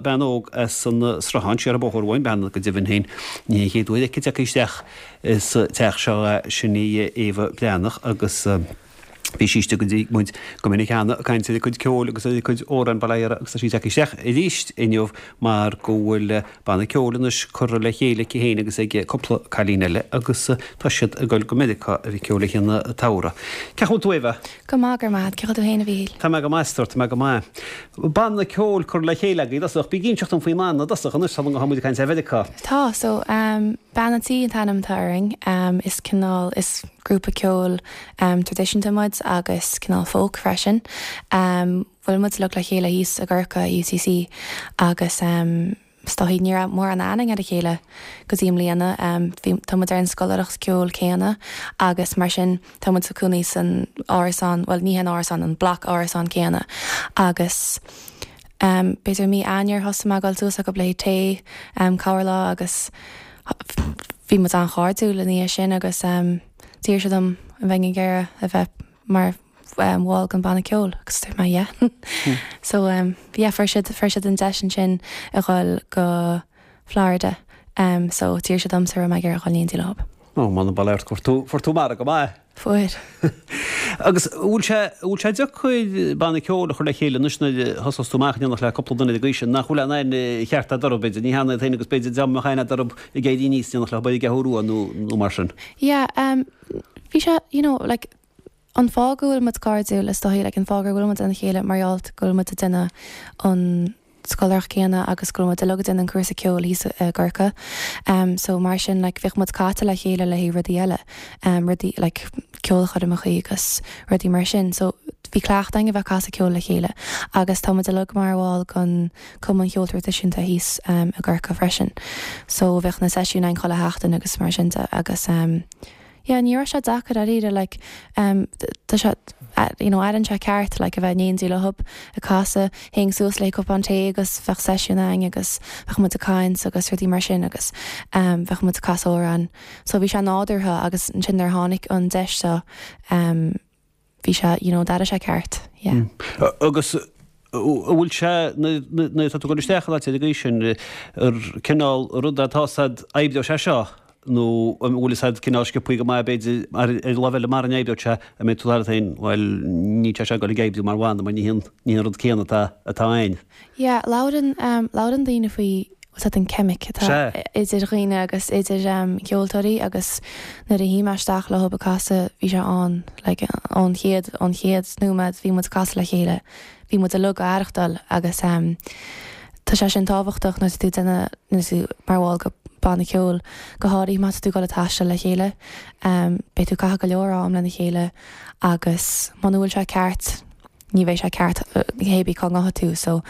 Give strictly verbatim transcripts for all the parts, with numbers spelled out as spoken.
Bean óg as an Sruthán siar an bóthar uainn, bean go deimhin féin, ní an chéad uair aici tagtha isteach sa teach seo, sin í Éabha Breathnach agus bhí sí istigh go dtí muid go minic cheana ag caint ar a cuid ceoil agus ar a cuid amhrán, bail ó Dhia uirthi, agus tá sí tagtha isteach arís inniu mar go bhfuil banna ceoil anois curtha le chéile aici féin agus ag cúpla cailín eile agus tá siad ag dul go Meiriceá a bheith ag ceol le haghaidh an tsamhraidh. Cén chaoi a bhfuil tú, Éabha? Go maith, go raibh maith agat. Cén chaoi a bhfuil tú féin, a Mhíchíl? Tá mé go maith, a stór, tá mé go maith. Banna ceoil curtha le chéile agaibh i dtosach. Bí ag inseacht dom faoin mbanna i dtosach anois, sula ngabhann muid ag caint ar Mheiriceá. Tá, so, Bean an Tí an t-ainm atá orainn. Is cineál, is grúpa ceoil traidisiúnta muid agus cineál folk freisin. Bhuail muid uilig le chéile thíos i gCorcaigh, i UCC, agus. Is dóichí ní raibh mórán aithne againn ar a chéile go dtí i mbliana. Bhí, tá muid ar an scoláireacht ceoil céanna agus mar sin tá muid ag cónaí san árasán, bhuel ní hé an árasán, an bloc árasán céanna agus b'fhéidir mí Eanáir thosaigh mé ag dul suas acu le haghaidh tae corr lá agus bhí muid an-chairdiúil ina dhiaidh sin agus d'iarr siad orm an mbeinn ag iarraidh a bheith mar bhall den bhanna ceoil agus dúirt mé yeah. So yeah fuair siad fuair siad an deis ansin a dhul go Florida so d'iarr siad ormsa an raibh mé ag iarraidh a dhul in éindí leo. Ó m'anam bail ort fuair tú fuair tú margadh maith. Fuair. Agus an bhfuil sé an bhfuil sé deacair banna ceoil a chur le chéile anois nuair a thosós tú amach in éineacht le cúpla duine ar an gcaoi sin nach bhfuil aon aithne cheart eadarthu b'fhéidir ní hionann iad féin agus b'fhéidir dá mbeadh aithne eadarthu ag éirí aníos in éineacht leo ar an gCeathrú Rua nó nó mar sin. Yeah um bhí sé you know like An fáth go bhfuil muid cairdiúil, is dóichí, like an fáth gur bhuail muid lena chéile mar gheall go bhfuil muid ag déanamh an scoláireacht céanna agus go bhfuil muid uilig ag déanamh an cúrsa ceoil thíos i gCorcaigh. Um so mar sin like bheadh muid caite le chéile le haghaidh rudaí eile, um rudaí like ceolchoirmeachaí agus rudaí mar sin. So bhí cleachtadh againn a bheith ag casadh ceoil le chéile agus tá muid uilig mar bhall den Cumann Cheoil Traidisiúnta thíos um i gCorcaigh freisin. So bheadh na seisiúin againn chuile sheachtain agus mar sin de agus um Yeah, ní raibh sé deacair dáiríre, like, em, tá sé, you know, airíonn sé ceart, like, a bheith in éindí leo ag casadh, théinn suas le cupán tae agus bheadh seisiún againn agus bheadh muid ag caint agus rudaí mar sin agus, em, bheadh muid ag casadh amhráin. So bhí sé nádúrtha agus ansin nuair a tháinig an deis seo, em, bhí sé, you know, d'airigh sé ceart, yeah. Agus an bhfuil sé, nuair atá tú ag dul isteach in áit ar an gcaoi sin, ar cineál rud atá 's a'd oibreoidh sé seo nó an bhfuil 'fhios a'd cineál sciobthaí go maith b'fhéidir ar an lámh eile mara n-oibreoidh sé an mbeidh tú leat féin, bhuel níl sé seo ag dul ag oibriú mar bhanna mar ní hé an rud céanna atá atá againn. Yeah, labhrann, labhrann daoine faoi 's a'd an ceimic atá idir dhaoine agus idir ceoltóirí agus nuair a shuigh mé isteach leo ag casadh bhí sé ann like ón chéad ón chéad nóiméad bhí muid ag casadh le chéile bhí muid uilig ag aireachtáil agus tá sé sin tábhachtach nuair atá tú ag déanamh nuair atá tú mar bhall de banna ceoil go háirithe má tá tú ag dul ag taisteal le chéile beidh tú ag caitheamh go leor am lena chéile agus muna bhfuil sé ceart ní bheidh sé ceart hé bí cá ngabhfaidh tú so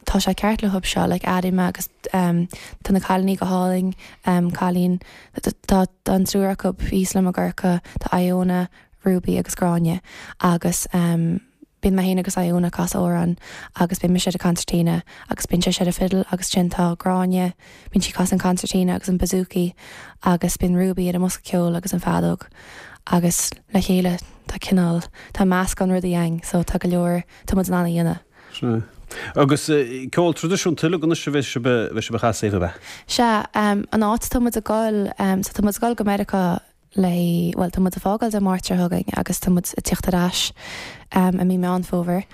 tá sé ceart leo seo like airím é agus tá na cailíní go hálainn cailín tá an triúr acu thíos liom i gCorcaigh tá Iona, Ruby agus Gráinne agus bíonn mé féin agus Iona ag casadh amhrán agus bíonn mise ar an concertina agus bíonn sise ar an fiddle agus ansin tá Gráinne bíonn sí ag casadh an concertina agus an bouzouki agus bíonn Ruby ar an mbosca ceoil agus an feadóg agus le chéile tá cineál tá meascán rudaí againn so tá go leor tá muid in ann a dhéanamh. Sea. Agus ceol traidisiúnta uilig anois a bheidh sibh a bheidh sibh a chasadh, ab ea? Sea, an áit atá muid ag dul, so tá muid ag dul go Meiriceá le, bhuel tá muid ag fágáil Dé Máirt seo chugainn agus tá muid ag tíocht ar ais i mí Meán Fómhair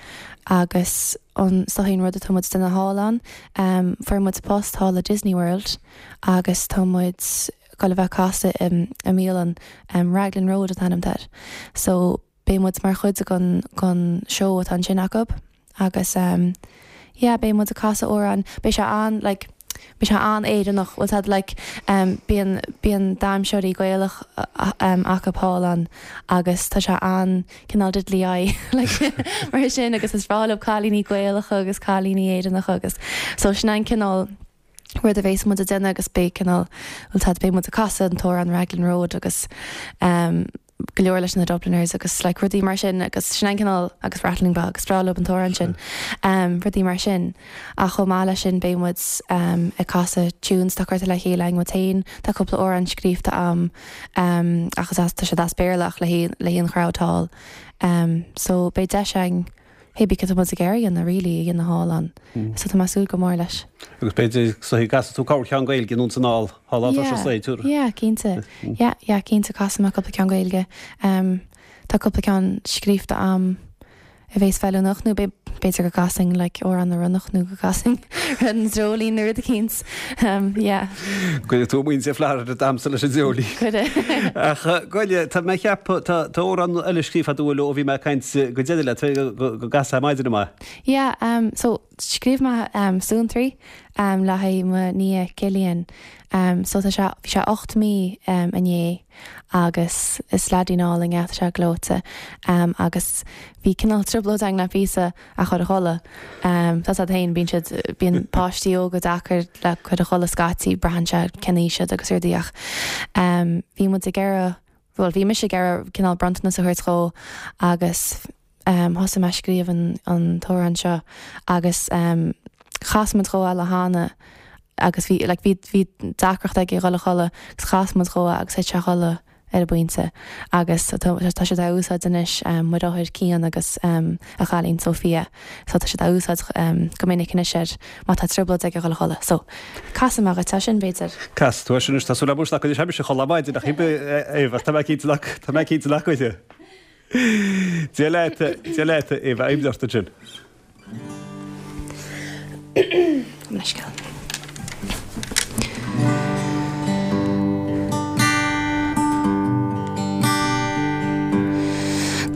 agus an, is dóichí an rud atá muid ag déanamh thall ann, fuair muid post thall i Disney World agus tá muid ag dul a bheith ag casadh i mbialann, Raglan Road an t-ainm atá air. So beidh muid mar chuid den, den seó atá ansin acu agus yeah beidh muid ag casadh amhrán, beidh sé an like beidh sé an-Éireannach, bhfuil 's a'd like bíonn, bíonn damhsóirí Gaelach acu thall ann agus tá sé an cineál diddly-eye like mar sin agus is breá leo cailíní Gaelacha agus cailíní Éireannacha agus so sin an cineál rud a bheas muid ag déanamh agus beidh cineál, bhfuil 's a'd beidh muid ag casadh an t-amhrán Raglan Road agus go leor leis na Dubliners agus like rudaí mar sin agus sin an cineál agus Rattling Bog is breá leo an t-amhrán sin rudaí mar sin ach chomh maith leis sin beidh muid ag casadh tunes atá curtha le chéile ag muid féin tá cúpla amhrán scríofa a'm ach is as tá siad as Béarla ach le haghaidh le haghaidh an crowd thall so beidh deis againn Hé bí tá muid ag iarraidh a dhéanamh really a dhéanamh thall ann. So tá mé ag súil go mór leis. Agus b'fhéidir so go gcasfaidh tú corrcheann Gaeilge anonn is anall thall tá sé saoithiúil. Yeah, cinnte. Yeah, yeah, cinnte casfaidh mé cúpla ceann Gaeilge. Um, tá cúpla ceann scríofa a'm a bheas feiliúnach nó b'fhéidir go gcasfainn like Amhrán na Ronnach nó go gcasfainn an Dreoilín nó rud eicínt. Um, yeah. Cuirfidh tú muintir Florida damhsa leis an Dreoilín. Cuirfidh. Ach goile, tá mé ag ceapadh, tá tá amhrán eile scríofa agat ó bhí mé ag caint go deireadh leat, go go gcasfá maidin amach. Yeah, um, so scríobh mé um, Suantraí um, le haghaidh mo nia Cillian. Um, so tá sé bhí sé ocht mí um, inné agus is leaidín álainn é tá sé gleoite um, agus bhí cineál trioblóid againn le píosa a chur a chodladh. Um, tá siad féin bíonn siad bíonn páistí óga deacair le cur a chodladh scaití braitheann sé cén aois iad agus rudaí ach um, bhí muid ag iarraidh well bhí mise ag iarraidh cineál bronntanas a thabhairt dhó agus um, thosaigh mé ag scríobh an, an t-amhrán seo agus um, chas muid dhó eile cheana agus bhí like, bhí bhí deacracht aige dhul a chodladh agus chas muid dhó agus thit sé a chodladh ar an bpointe agus tá tá siad á úsáid anois um, mo dheartháir Cian agus um, a chailín Sophia so tá siad á úsáid um, go minic anois ar má tá trioblóid aige dhul a chodladh so casfaidh mé dhuit é sin b'fhéidir. Cas tú sin tá súil agam go sé se chodladh maidin ach Éabha tá mé cinnte nach tá mé cinnte nach bhfuil. Dia leat Dia leat Éabha aimdeachta sin. Leithscéal.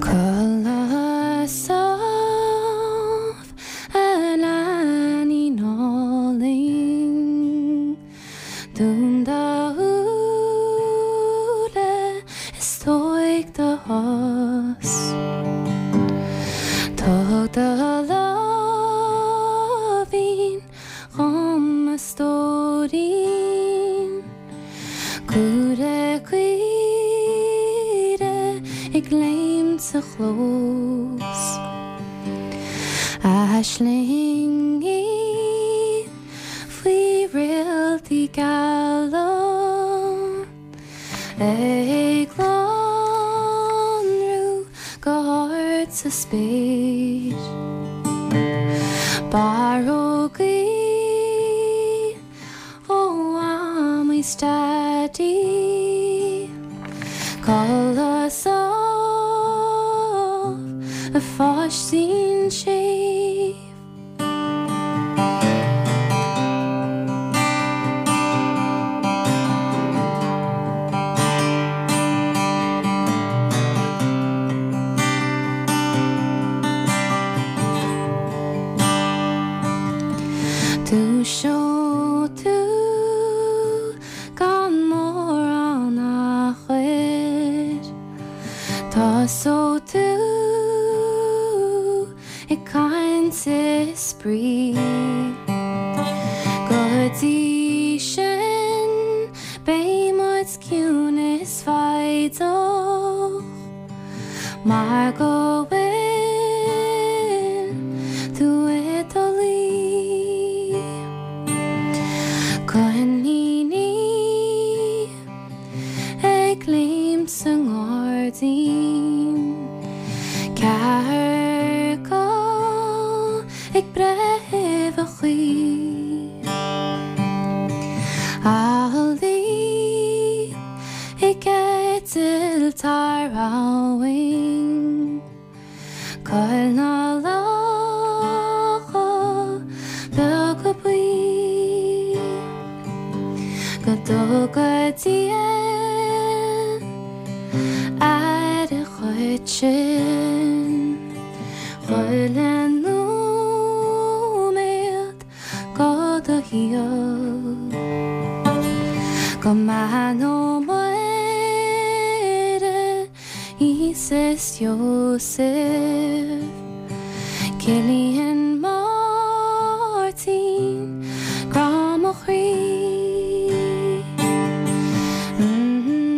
Codladh sámh a leainín álainn, Dún do shúile is tóig do shos. Tóg do láimhín dhom a stóirín, Cúire caoire ag léimt sa chlós. Aislingí faoi réaltaí geala ag lonrú go hard sa spéir. Barrógaí ó Mhamaí 's Daidí, Codladh sámh a pháistín séimh. Dúiseoidh tú gan mórán achair, Tosóidh tú ag caint is spraoi. Go dtí sin beidh muid ciúin is foighdeach, mar go bhfuil tú i do luí. Coiníní ag léimt sa ngairdín, Cearca ag breith uibheachaí. Ealaí ag eitilt thar abhainn, Coill na lucha beaga buí. Go dtuga Dia aire dhuit sin, Chuile nóiméad de do shaol. Go mbeannóidh Muire, Íosa is Iósaef, Cillian Máirtín, grá mo chroí. Mm-hmm.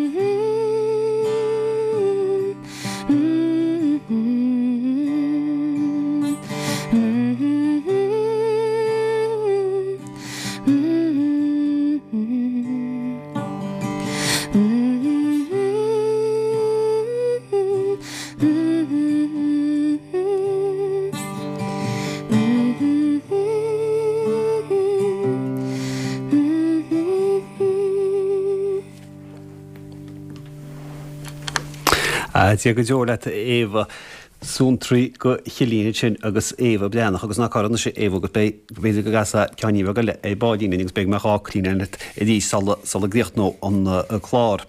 Dia go deo leat Éabha Suantraí go Chillín sin agus Éabha Breathnach agus ná caranna sé Éabha go b'fhéidir go gcasfá ceann beag eile ar ball linn agus beidh mé dhá clín arís sula gcríochnóidh an clár.